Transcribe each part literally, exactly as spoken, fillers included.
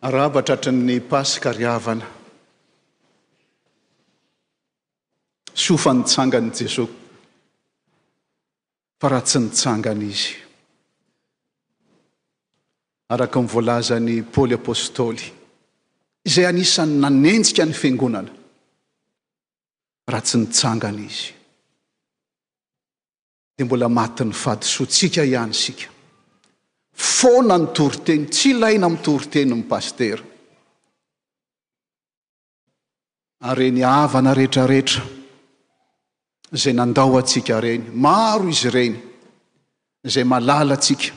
Arahaba tratry ny Paska ry havana. Soa fa nitsangana i Jesoa, fa raha tsy nitsangana Izy, araka ny voalazan'i Paoly Apostoly, izay anisan'ny nanenjika ny fiangonana, raha tsy nitsangana Izy, dia mbola matin'ny fahadisoantsika ihany isika. Foana ny toriteny, tsy ilaina mitory teny ny pasitera. Ary ireny havana rehetrarehetra izay nandao antsika ireny, maro izy ireny izay malala antsika,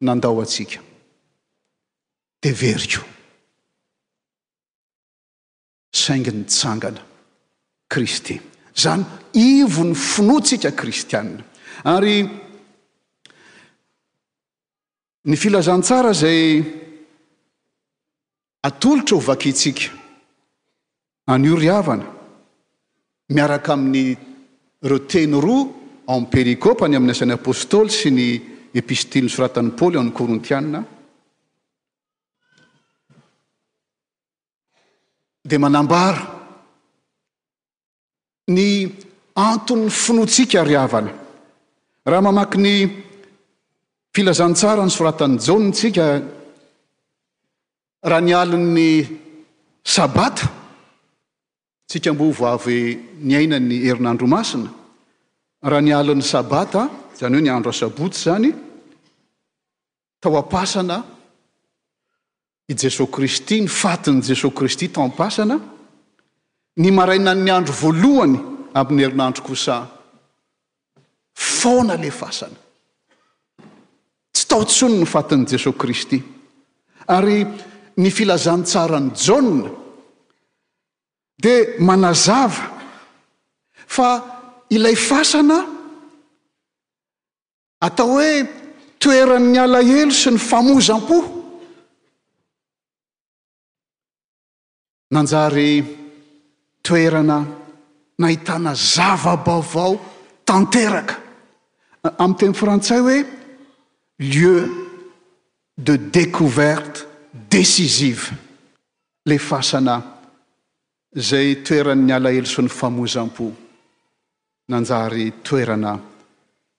nandao antsika, dia very koa. Saingy nitsangana Kristy. Izany ivon'ny finoantsika kristianina. Ary ny filazantsara izay atolotra ho vakintsika anio ry havana, miaraka amin'ireo teny roa ao amin'ny perikopa, ny amin'ny asan'ny Apostoly sy ny epistily nosoratan'i Paoly ao amin'ny Korintiana, dia manambara ny anton'ny finoantsika ry havana. Raha mamaky ny filazantsara nosoratan'i Jaona isika, raha ny alin'ny Sabata, tsika mboa vao avy niaina ny herinandro masina, raha ny alin'ny Sabata, izany hoe ny andro asabotsy izany, tao am-pasana i Jesoa Kristy, ny fatin'i Jesoa Kristy tao am-pasana, ny marainan'ny andro voalohany amin'ny herinandro kosa, foana ilay fasana. Tsy tao intsony ny fatin'i Jesoa Kristy. Ary ny filazantsaran'i Jaona dia manazava fa ilay fasana atao hoe toeran'ny alahelo sy ny famozam-po nanjary toerana nahitana zava-baovao tanteraka. Amin'ny teny frantsay hoe lieu de découverte décisive, ilay fasana izay toeran'ny alahelo sy ny famozam-po nanjary toerana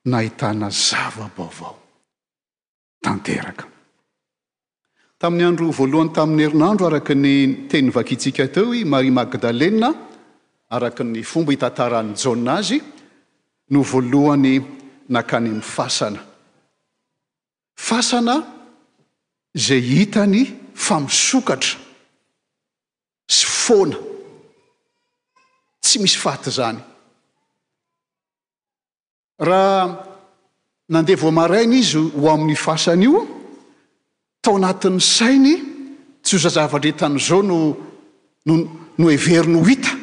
nahitana zava-baovao tanteraka. Tamin'ny andro voalohany tamin'ny herinandro, araka ny teny vakintsika teo, i Maria Magdalena, araka ny fomba hitantaran'i Jaona azy, no voalohany nankany amin'ny fasana. Fasana izay hitany fa misokatra sy foana, tsy misy faty izany. Raha nandeha vao maraina izy ho amin'ny fasana io, tao anatin'ny sainy, tsy ho zavatra hitan'izao no, no, no heveriny ho hita.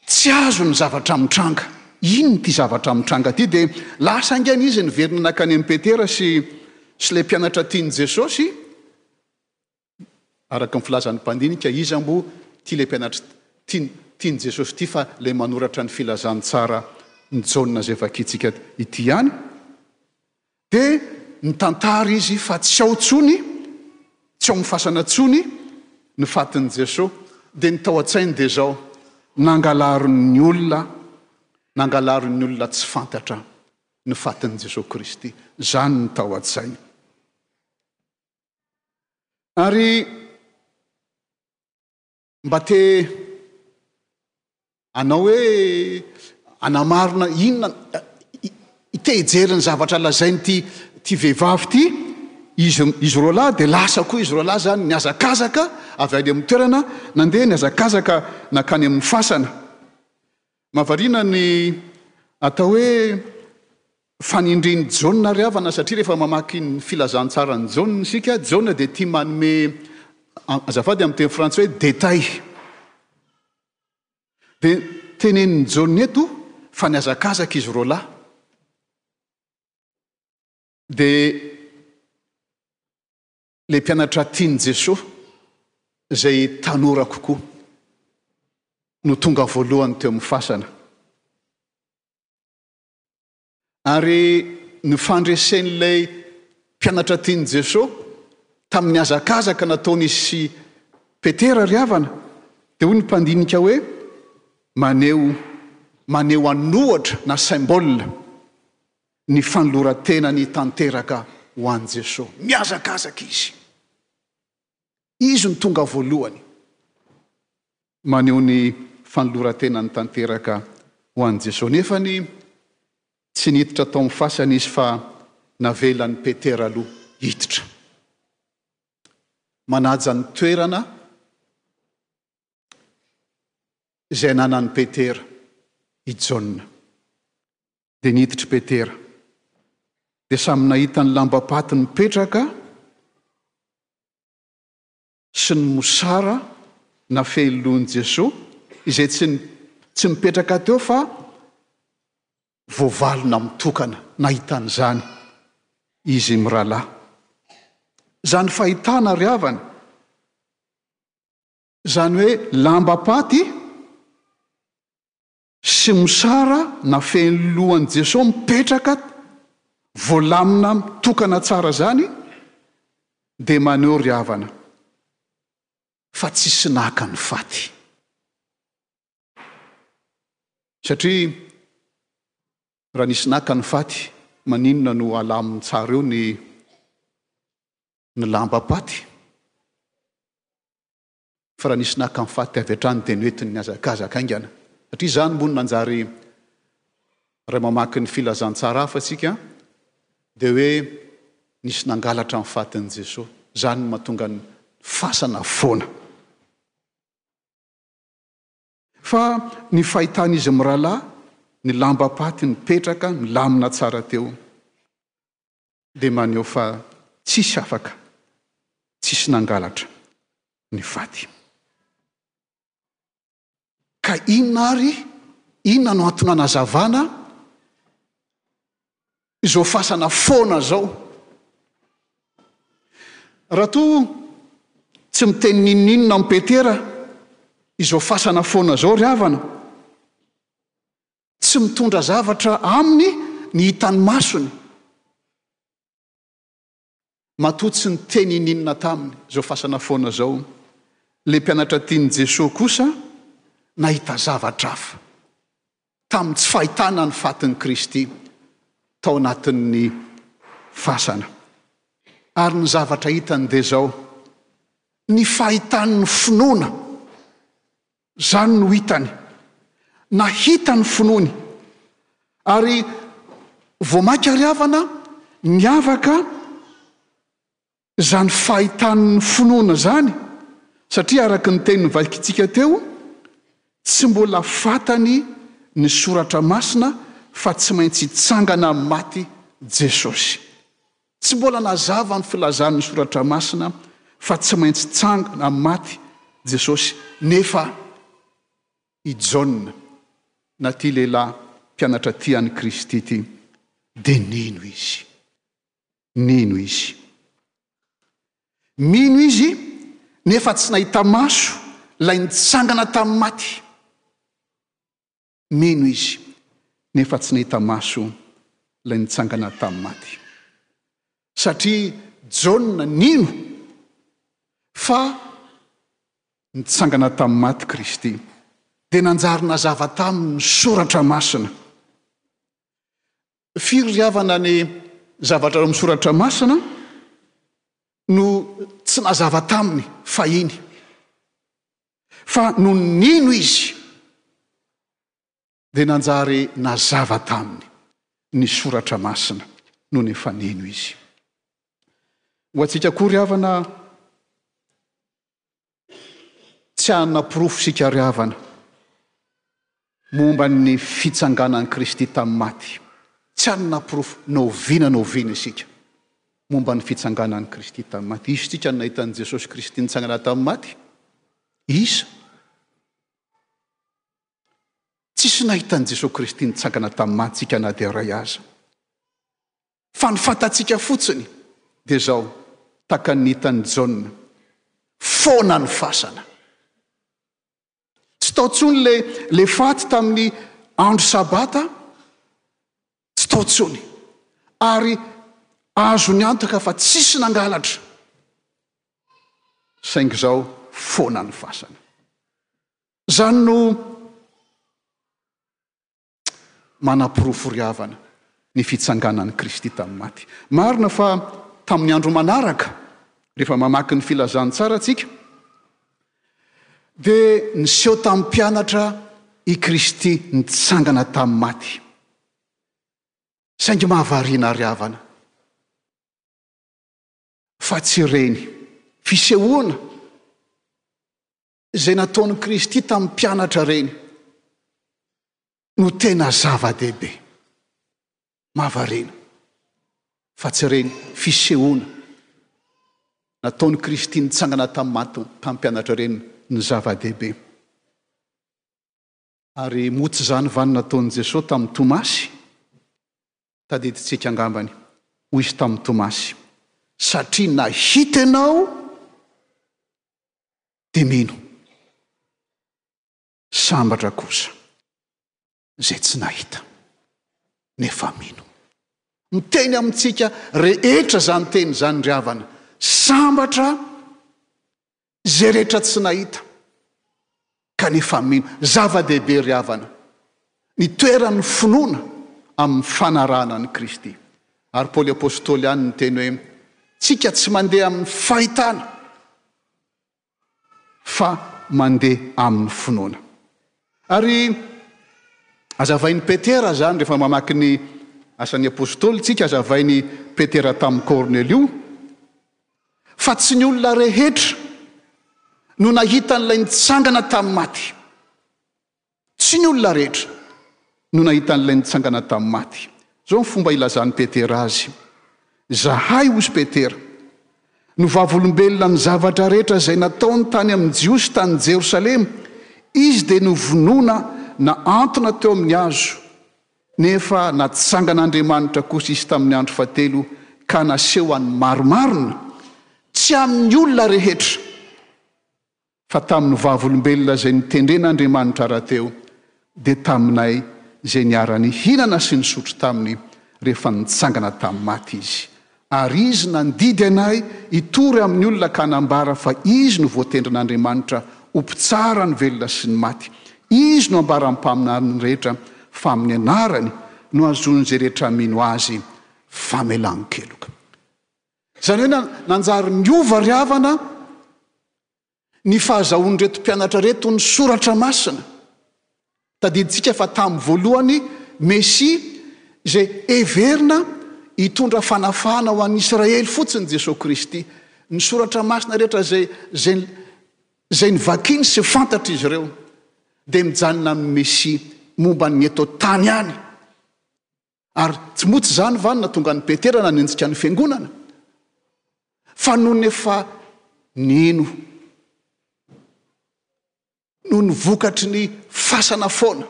Tsy azo ny zavatra mitranga. Inona ity zavatra mitranga ity? Dia lasa haingana izy niverina nankany amin'i Petera sy, sy ilay mpianatra tian'i Jesosy. Araka ny filazan'ny mpandinika, iza moa ity ilay mpianatra tian-, tian'i Jesosy ity fa ilay manoratra ny filazantsara ny Jaona izay vakintsika ity ihany. Dia nitantara izy fa tsy ao intsony, tsy ao amin'ny fasana intsony ny fatin'i Jesosy. Dia ny tao an-tsainy dia izao, nangalarin'ny olona, nangalarin'ny olona tsy fantatra ny fatin'i Jesosy Kristy. Izany ny tao an-tsainy. Ary mba te hanao hoe anamarina inona, te hijery ny zavatra lazain'ity ity vehivavy ity, izy, izy roa lahy, dia lasa koa izy roa lahy zany nihazakazaka avy any amin'ny toerana, nandeha nihazakazaka nankany amin'ny fasana. Mahavariana ny atao hoe fanindrin'i Jaona ry havana, satria rehefa mamaky ny filazantsaran'i Jaona isika, Jaona dia tia manome, azafady amin'ny teny frantsay hoe détail. Dia tenenin'i Jaona eto fa nihazakazaka izy roa lahy. Dia ilay mpianatra tian'i Jesoa izay tanora kokoa no tonga voalohany teo amin'ny fasana. Ary ny fandresen'ilay mpianatra tian'i Jesoa Tamin'ny hazakazaka nataon'izy sy Petera ry havana, dia hoy ny mpandinika hoe maneho maneho an'ohatra na symbole ny fanoloran-tenany tanteraka ho an'i Jesoa. Mihazakazaka izy. Izy no tonga voalohany. Maneho ny fanoloran-tenany tanteraka ho an'i Jesoa. Nefa ny tsy niditra tao amin'ny fasana izy fa navelan'i Petera aloha hiditra. Manaja ny toerana izay ananan'i Petera i Jaona. Dia niditra Petera. Dia samy nahita ny lambam-paty nipetraka sy ny mosara nafehy lohan'i Jesoa, izay tsy tsy mipetraka teo fa voavalona mitokana. Nahita an'izany izy mirahalahy. Izany fahitana ry havana, izany hoe lambam-paty sy mosara nafehy ny lohan'i Jesoa mipetraka voalamina mitokana tsara izany, dia maneho ry havana fa tsisy naka ny faty. Satria raha nisy naka ny faty, maninona no alaminy tsara eo ny ny lambam-paty? Fa raha nisy naka ny faty avy hatrany dia noentiny nihazakazaka haingana. Satria izany moa no nanjary, raha mamaky ny filazantsara hafa isika, dia hoe nisy nangalatra ny fatin'i Jesoa. Izany no mahatonga ny fasana foana. Fa ny fahitan'izy mirahalahy, ny lambam-paty nipetraka, milamina tsara teo, dia maneho fa tsisy afaka, tsisy nangalatra ny faty. Ka inona ary, inona no antony anazavana izao fasana foana izao? Raha toa tsy miteny n'inon'inona amin'i Petera izao fasana foana izao ry havana, tsy mitondra zavatra aminy ny hitan'ny masony. Matoa tsy niteny ininona taminy izao fasana foana izao, ilay mpianatra tian'i Jesoa kosa nahita zavatra hafa tamin'ny tsy fahitana ny fatin'i Kristy tao anatin'ny fasana. Ary ny zavatra hitany dia izao, ny fahitan'ny finoana, izany no hitany. Nahita ny finoany. Ary vao mainka ry havana niavaka izany fahitan'ny finoana izany, satria araka ny teny novakintsika teo, tsy mbola fantany ny soratra masina fa tsy maintsy hitsangana amin'ny maty Jesosy. Tsy mbola nazava ny filazan'ny soratra masina fa tsy maintsy tsangana amin'ny maty Jesosy, nefa i Jaona, na ity lehilahy mpianatra tia an'i Kristy ity, dia nino izy. Nino izy. Mino izy, nefa tsy nahita maso ilay nitsangana tamin'ny maty. Mino izy, nefa tsy nahita maso ilay nitsangana tamin'ny maty. Satria Jaona nino fa nitsangana tamin'ny maty Kristy, dia nanjary nazava taminy ny soratra masina. Firy ry havana ny zavatra ao amin'ny soratra masina no tsy nazava taminy fahiny, fa nony nino izy dia nanjary nazava taminy ny soratra masina nony efa nino izy. Ho antsika koa ry havana, tsy hanana porofo isika ry havana momba ny fitsanganan'i Kristy tamin'ny maty. Tsy hanana porofo na oviana na oviana isika momba ny fitsanganan'i Kristy tamin'ny maty. Iza isika no nahita an'i Jesosy Kristy nitsangana tamin'ny maty? Iza? Tsisy nahita an'i Jesosy Kristy nitsangana tamin'ny maty isika na dia iray aza. Fa ny fantatsika fotsiny dia izao, tahaka ny hitan'i Jaona, foana ny fasana. Tsy tao intsony le, le faty tamin'ny andro sabata, tsy tao intsony. Ary azony antoka fa tsisy nangalatra. Saingy izao foana ny fasana. Izany no manaporofo ry havana ny fitsanganan'i Kristy tamin'ny maty. Marina fa tamin'ny andro manaraka, rehefa mamaky ny filazantsara tsika, dia niseho tamin'ny mpianatra i Kristy nitsangana tamin'ny maty. Saingy mahavariana ry havana fa tsy ireny fisehoana izay nataon'i Kristy tamin'ny mpianatra ireny no tena zava-dehibe. Mahavariana fa tsy ireny fisehoana nataon'i Kristy nitsangana tamin'ny maty tamin'ny mpianatra ireny no zava-dehibe. Ary moa tsy izany va no nataon'i Jesoa tamin'i Tomasy? Tadidintsika angambany, hoy izy tamin'i Tomasy, satria nahita ianao dia mino. Sambatra kosa izay tsy nahita nefa mino. Miteny amintsika rehetra izany teny izany ry havana. Sambatra izay rehetra tsy nahita kanefa mino. Zava-dehibe ry havana ny toeran'ny finoana amin'ny fanarahana an'i Kristy. Ary Paoly Apostoly ihany niteny hoe, tsika tsy mandeha amin'ny fahitana fa mandeha amin'ny finoana. Ary azavain'i Petera izany rehefa mamaky ny asan'ny Apostoly tsika, azavain'i Petera tamin'i Kornelio fa tsy ny olona rehetra no nahita an'ilay nitsangana tamin'ny maty. Tsy ny olona rehetra no nahita an'ilay nitsangana tamin'ny maty. Izao ny fomba ilazan'i Petera azy. Zahay, hozy Petera, no vavolombelona ny zavatra rehetra izay nataony tany amin'ny Jiosy tany Jerosalema. Izy dia novonoina nahantona teo amin'ny hazo, nefa natsangan'Andriamanitra kosa izy tamin'ny andro fahatelo ka naseho an'ny marimarina, tsy amin'ny olona rehetra, fa tamin'ny vavolombelona izay nitendren'Andriamanitra rahateo, dia taminay izay niara-nihinana sy nisotro taminy rehefa nitsangana tamin'ny maty izy. Ary izy nandidy anay hitory amin'ny olona ka hanambara fa izy no voatendrin'Andriamanitra ho mpitsara ny velona sy ny maty. Izy no ambaran'ny mpaminany rehetra fa amin'ny anarany no hahazoan'izay rehetra mino azy famelan-keloka. Izany hoe nanjary niova ry havana ny fahazahoan'ireto mpianatra ireto ny soratra masina. Tadidintsika fa tamin'ny voalohany Mesia izay heverina hitondra fanafahana ho an'ny Israely fotsiny Jesoa Kristy. Ny soratra masina rehetra izay izay izay novakiny sy fantatr'izy ireo dia mijanona amin'ny Mesia momba ny eto an-tany ihany. Ary tsy moa tsy izany va no nahatonga an'i Petera nanenjika ny fiangonana? Fa nony efa nino noho ny vokatry ny fasana foana,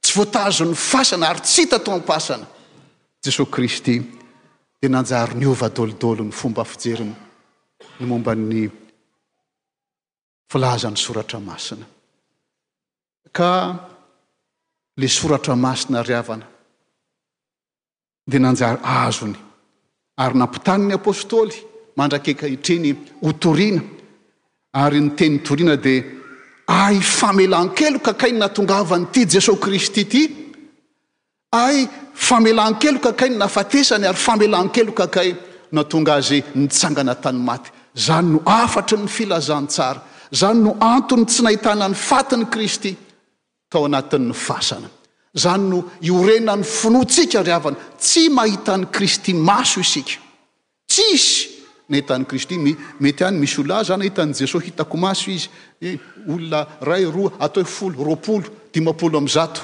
tsy voatazon'ny fasana ary tsy hita tao am-pasana, Jesoa Kristy dia nanjary niova daholo ny fomba fijeriny ny momba ny filazan'ny soratra masina. Ka le soratra masina ry havana dia nanjary azony ary nampitany ny apostoly mandrak'ankehitriny ho toriana, ary ny teny toriana dia ahy famelan-keloka kay ny nahatongavan'ity Jesoa Kristy ity, ahy famelan-keloka kay ny nahafatesany, ary famelan-keloka kay nahatonga azy nitsangana tany maty. Izany no hafatry ny filazantsara. Izany no antony tsy nahitana ny fatin'i Kristy tao anatin'ny fasana. Izany no iorenan'ny finoantsika ry havana. Tsy mahita an'i Kristy maso isika. Tsisy nahita an'i Kristy. Mety any misy olona, ah, za nahita an'i Jesoa, hitako maso izy. Eh, olona iray, roa, atao hoe folo, roapolo, dimampolo amby zato.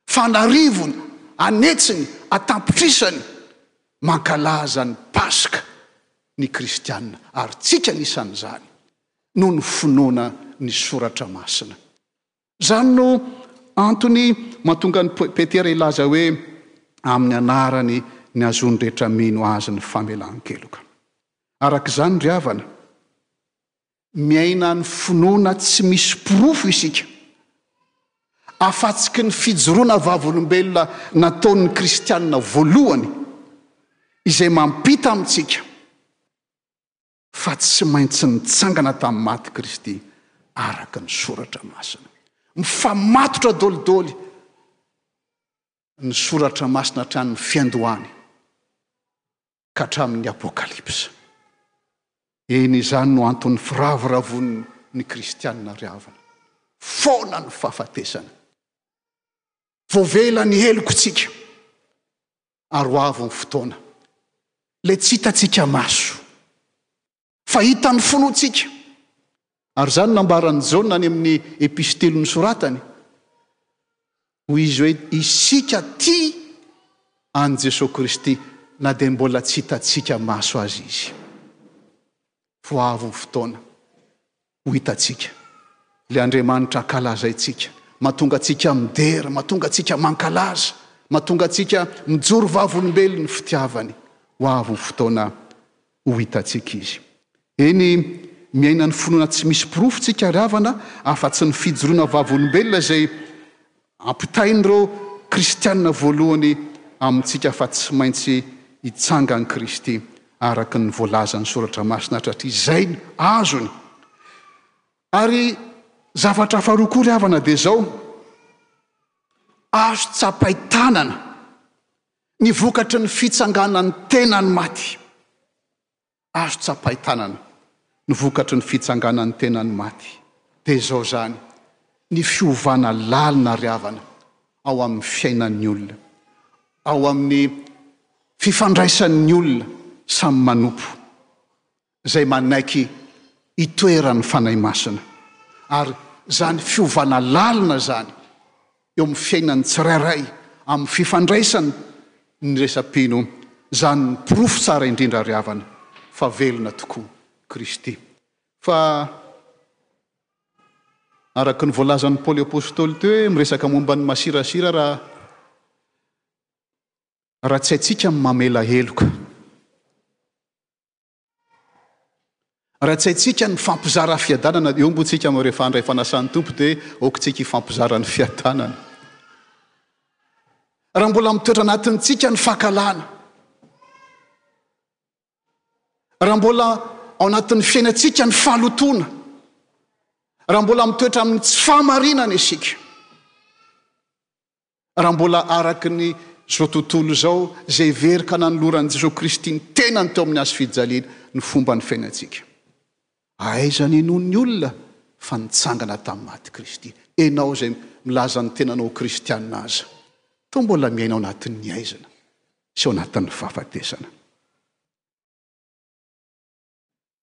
Fa an'arivony, an'hetsiny, an-tapitrisany mankalaza ny Paska ny kristiana, ary tsika anisan'izany, noho ny finoana ny Soratra Masina. Izany no antony mahatonga an'i Petera hilaza hoe amin'ny anarany ny hahazoan'ny rehetra mino azy ny famelan-keloka. Araka izany ry havana, miaina ny finoana tsy misy porofo isika, afa-tsiky ny fijoroana vavolombelona nataon'ny kristiana voalohany izay mampita amintsika fa tsy maintsy nitsangana tamin'ny maty Kristy araka ny soratra masina. Mifamatotra dolidoly ny soratra masina hatramin'ny fiandohany ka hatramin'ny Apokalypsa. Eny, izany no anton'ny firavoravoan'ny kristianina ry havana. Foana ny fahafatesana. Voavela ny helokontsika ary ho avy ny fotoana. Ilay tsy hitantsika maso, fa hitan'ny finoantsika. Ary izany nambaran'i Jaona any amin'ny epistily nosoratany. Hoy izy hoe, isika tia an'i Jesoa Kristy na dia mbola tsy hitantsika maso azy izy. Ho avy ny fotoana ho hitantsika ilay Andriamanitra ankalazaintsika, mahatonga antsika midera, mahatonga antsika mankalaza, mahatonga antsika mijoro vavolombelon'ny fitiavany. Ho avy ny fotoana ho hitantsika izy. Eny, miaina ny finoana tsy misy porofo tsika ry havana, afa-tsy ny fijoroana vavolombelona izay ampitain'ireo kristianina voalohany amintsika fa tsy maintsy hitsangan'i Kristy araka ny voalazan'ny Soratra Masina hatratry izay no azony. Ary zavatra faharoa koa ry havana dia izao, azo tsapain-tanana ny vokatry ny fitsanganan'ny tenan'ny maty. Azo tsapain-tanana ny vokatry ny fitsanganan'ny tenan'ny maty. Dia izao izany, ny fiovana lalina ry havana ao amin'ny fiainan'ny olona, ao amin'ny fifandraisan'ny olona samy manompo, izay manaiky hitoeran'ny Fanahy Masina. Ary izany fiovana lalina izany eo amin'ny fiainan'ny tsirairay, amin'ny fifandraisany ny resa-pino, izany ny porofo tsara indrindra ry havana fa velona tokoa Kristy. Fa araka ny voalazan'i Paoly Apostoly teo hoe miresaka momba ny masirasira raha raha tsy haintsika ny mamela heloka. Raha tsy haintsika ny mifampizara fiadanana, eo mboa tsika rehefa handray fanasan'ny Tompo dia aoka tsika hifampizara ny fiadanana. Raha mbola mitoetra anatintsika ny fankahalana, raha mbola ao anatin'ny fiainantsika ny fahalotoana, raha mbola mitoetra amin'ny tsy fahamarinana isika, raha mbola araka ny izao tontolo izao izay very ka nanoloran'i Jesoa Kristy ny tenany teo amin'ny hazo fijaliana ny fomban'ny fiainantsika. Aiza ny hinoan'ny olona fa nitsangana tamin'ny maty Kristy? Ianao izay milaza ny tenanao ho kristianina aza, toa mbola miaina ao anatin'ny haizina sy ao anatin'ny fahafatesana.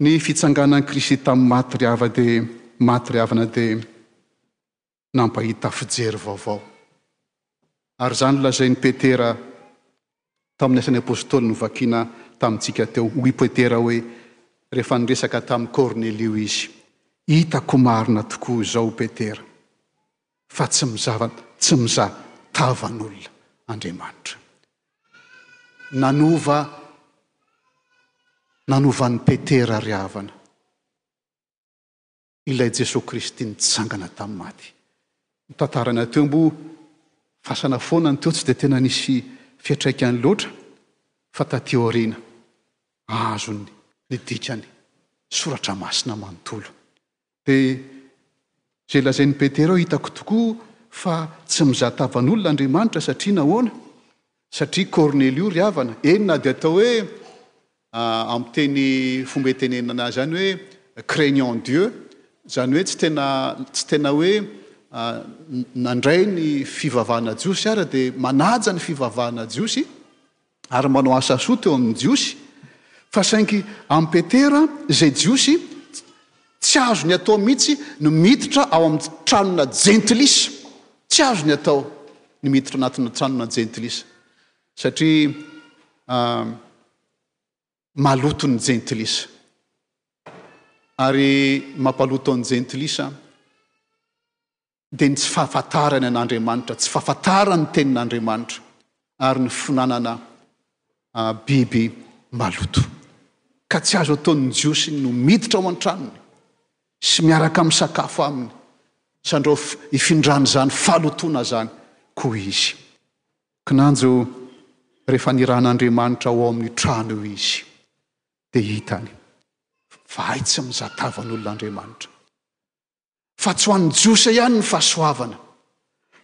Ny fitsanganan'i Kristy tamin'ny maty ry hava dia maty ry havana dia nampahita fijery vaovao. Ary izany no lazain'i Petera tamin'ny Asan'ny Apostoly novakina tamintsika teo. Hoy Petera hoe, rehefa niresaka tamin'i Kornelio izy, Hitako marina tokoa izao, Petera, fa tsy mizava, tsy mizaha tavan'olona Andriamanitra. Nanova, nanova an'i Petera ry havana. Ilay Jesoa Kristy nitsangana tamin'ny maty. Ny tantarana teo mboa fasana foana ny teo, tsy dia tena nisy fiantraikany loatra, fa taty aoriana azony ny dikany soratra masina manontolo. Dia izay lazain'i Petera eo, hitako tokoa fa tsy mizaha tavan'olona Andriamanitra, satria nahoana? Satria Kornelio ry havana, eny na dia atao hoe amin'ny teny fomba itenenana azy ihany hoe craignant Dieu, izany hoe tsy tena, tsy tena hoe nandray ny fivavahana jiosy ara dia manaja ny fivavahana jiosy ary manao asa soa teo amin'ny jiosy, fa saingy amin'i Petera izay jiosy tsy azony atao mihitsy ny miditra ao amin'ny tranona jentilisa, tsy azony atao ny miditra anatina tranona jentilisa satria maloto ny jentilisa. Ary mampaloto ny jentilisa dia ny tsy fahafantarany an'Andriamanitra, tsy fahafantarany ny tenin'Andriamanitra, ary ny finanana biby maloto. Ka tsy azo ataon'ny Jiosy no miditra ao an-tranony sy miaraka misakafo aminy, sandrao hifindran'izany fahalotoana izany koa izy. Kinanjo, rehefa nirahan'Andriamanitra ao amin'io trano io izy, dia hitany Fa hay tsy mizaha tavan'olona Andriamanitra. Fa tsy ho an'ny Jiosy ihany ny fahasoavana,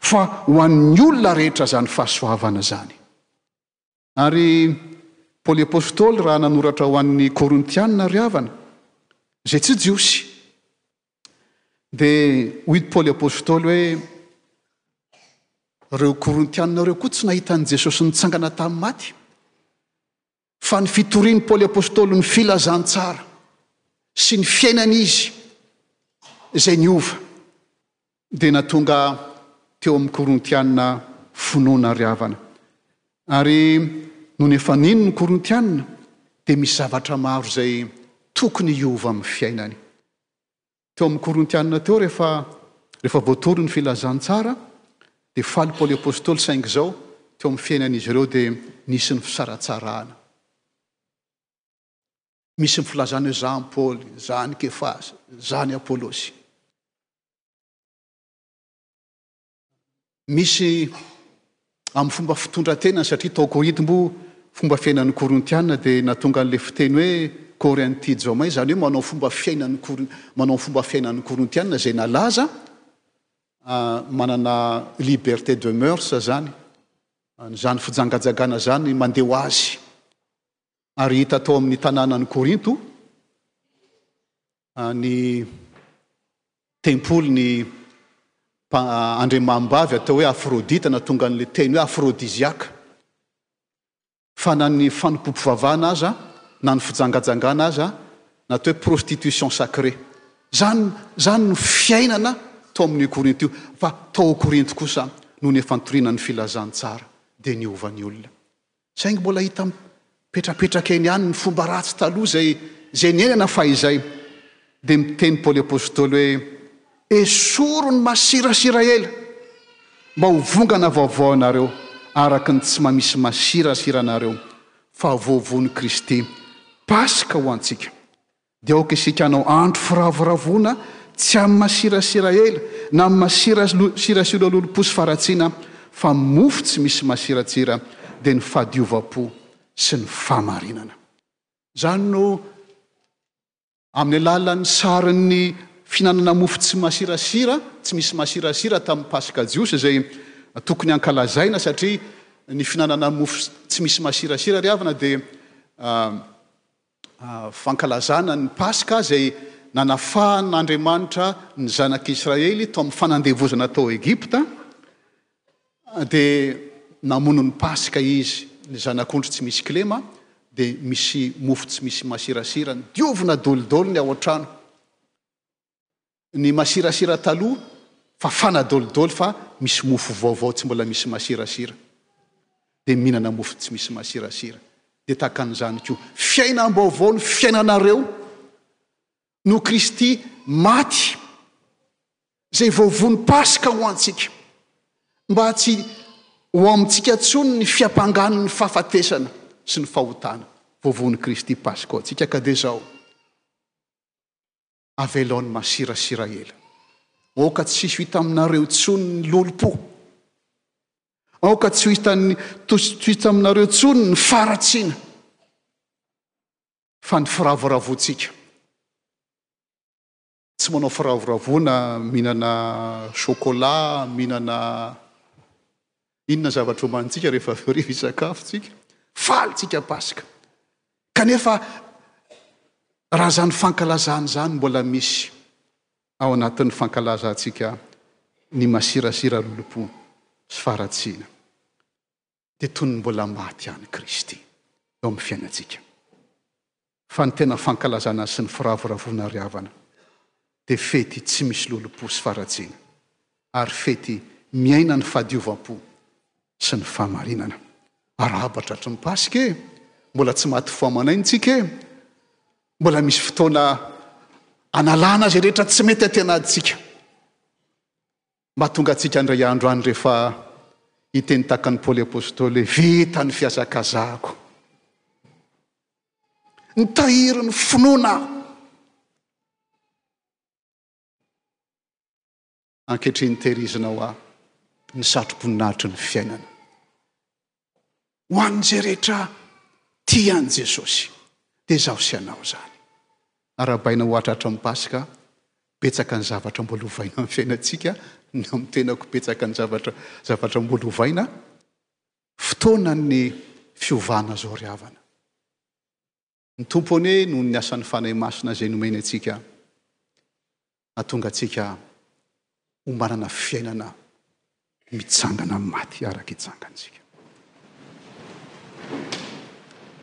fa ho an'ny olona rehetra izany fahasoavana izany. Ary Paoly Apostoly raha nanoratra ho an'ny Korintianina ry havana, izay tsy Jiosy, dia hoy Paoly Apostoly hoe, ireo Korintianina ireo koa tsy nahita an'i Jesosy nitsangana tamin'ny maty, fa ny fitorian'i Paoly Apostoly ny filazantsara sy ny fiainany izy izay niova dia nahatonga teo amin'ny Korintianina finoana ry havana. Ary nony efa nino ny Korintianina dia misy zavatra maro izay tokony hiova amin'ny fiainany. Teo amin'ny Korintianina teo rehefa rehefa voatory ny filazantsara dia faly Paoly Apostoly, saingy izao teo amin'ny fiainan'izy ireo dia nisy ny fisaratsarahana. Misy ny filazana hoe za ny Paoly, za ny Kefasy, za ny Apolosy. Misy amin'ny fomba fitondran-tenany, satria tao Korinto moa fomba fiainan'ny Korintiana dia nahatonga an'ilay fiteny hoe Korinti-jomai, izany hoe manao fomba fiainan'ny Korin-, manao fomba fiainan'ny Korintiana izay nalaza, manana liberté de mœurs izany, izany fijangajangana izany mandeha ho azy. Ary hita tao amin'ny tanànan'i Korinto ny tempoly ny andriamanimbavy atao hoe Aphrodite, nahatonga an'ilay teny hoe aphrodisiaque. Fa na ny fanompoam-pivavahana aza, na ny fijangajangana aza, na atao hoe prostitution sacrée. Izany, izany no fiainana tao amin'io Korinto io. Fa tao Korinto kosa, nony efa nitoriana ny filazantsara, dia niova ny olona. Saingy mbola hita mipetrapetraka eny ihany ny fomba ratsy taloha izay, izay niainana fahizay. Dia miteny Paoly Apostoly hoe, Esoro ny masirasira ela, mba ho vongana vaovao ianareo, araka ny tsy mamisy masirasira anareo, fa voavono Kristy Paska ho antsika. Dia aoka isika hanao andro firavoravoana tsy amin'ny masirasira ela, na amin'ny masirasira lolompo sy faharatsiana, fa mofo tsy misy masiratsira, dia ny fahadiovam-po sy ny fahamarinana. Izany no amin'ny alalan'ny sarin'ny fihinanana mofo tsy masirasira, tsy misy masirasira tamin'ny Paska Jiosy izay tokony hankalazaina, satria ny fihinanana mofo tsy misy masirasira ry havana dia fankalazana ny Paska izay nanafahan'Andriamanitra ny zanak'Israely tao amin'ny fanandevozana tao Egypta, dia namono ny Paska izy, ny zanak'ondry tsy misy kilema, dia misy mofo tsy misy masirasira, diovina dolidoly ny ao an-trano. Ny masirasira taloha fafana dolidoly fa misy mofo vaovao tsy mbola misy masirasira. Dia mihinana mofo tsy misy masirasira. Dia tahaka an'izany koa, fiainam-baovao ny fiainanareo no Kristy maty, izay voavono Paska ho antsika, mba tsy ho amintsika intsony ny fiampangan'ny fahafatesana sy ny fahotana. Voavono Kristy Paska ho antsika, ka dia izao, avelao ny masirasira ela. Aoka tsy ho hita aminareo intsony ny lolompo. Aoka tsy ho hitan'ny, tsy ho hita aminareo intsony ny faharatsiana, fa ny firavoravoantsika. Tsy manao firavoravoana, mihinana chocolat, mihinana inona zavatra omanintsika rehefa avy eo rehefa hisakafo tsika. Faly tsika Paska. Kanefa raha izany fankalazana izany mbola misy ao anatin'ny fankalazantsika ny masirasira lolompo sy faharatsiana, dia toy ny mbola maty ihany Kristy eo amin'ny fiainantsika. Fa ny tena fankalazana sy ny firavoravoana ry havana dia fety tsy misy lolompo sy faharatsiana, ary fety miaina ny fahadiovam-po sy ny fahamarinana. Arahaba tratry ny Paska e! Mbola tsy maty fo aman'aina tsika e! Mbola misy fotoana analana izay rehetra tsy mety aty anatintsika. Mba tonga antsika indray andro any rehefa hiteny tahaka an'i Paoly Apostoly hoe vita ny fihazakazahako. Nitahiry ny finoana aho. Ankehitriny tehirizina ho ahy ny satroboninahitry ny fiainana. Ho an'izay rehetra tia an'i Jesosy, dia izaho sy ianao izany. Arahabaina ho hatratra amin'ny Paska. Betsaka ny zavatra mbola hovaina amin'ny fiainantsika, ny amin'ny tenako betsaka ny zavatra zavatra mbola hovaina. Fotoanan'ny fiovana izao ry havana. Ny Tompo anie noho ny asan'ny Fanahy Masina izay nomeny antsika, hahatonga antsika ho manana fiainana mitsangana amin'ny maty araka itsangantsika.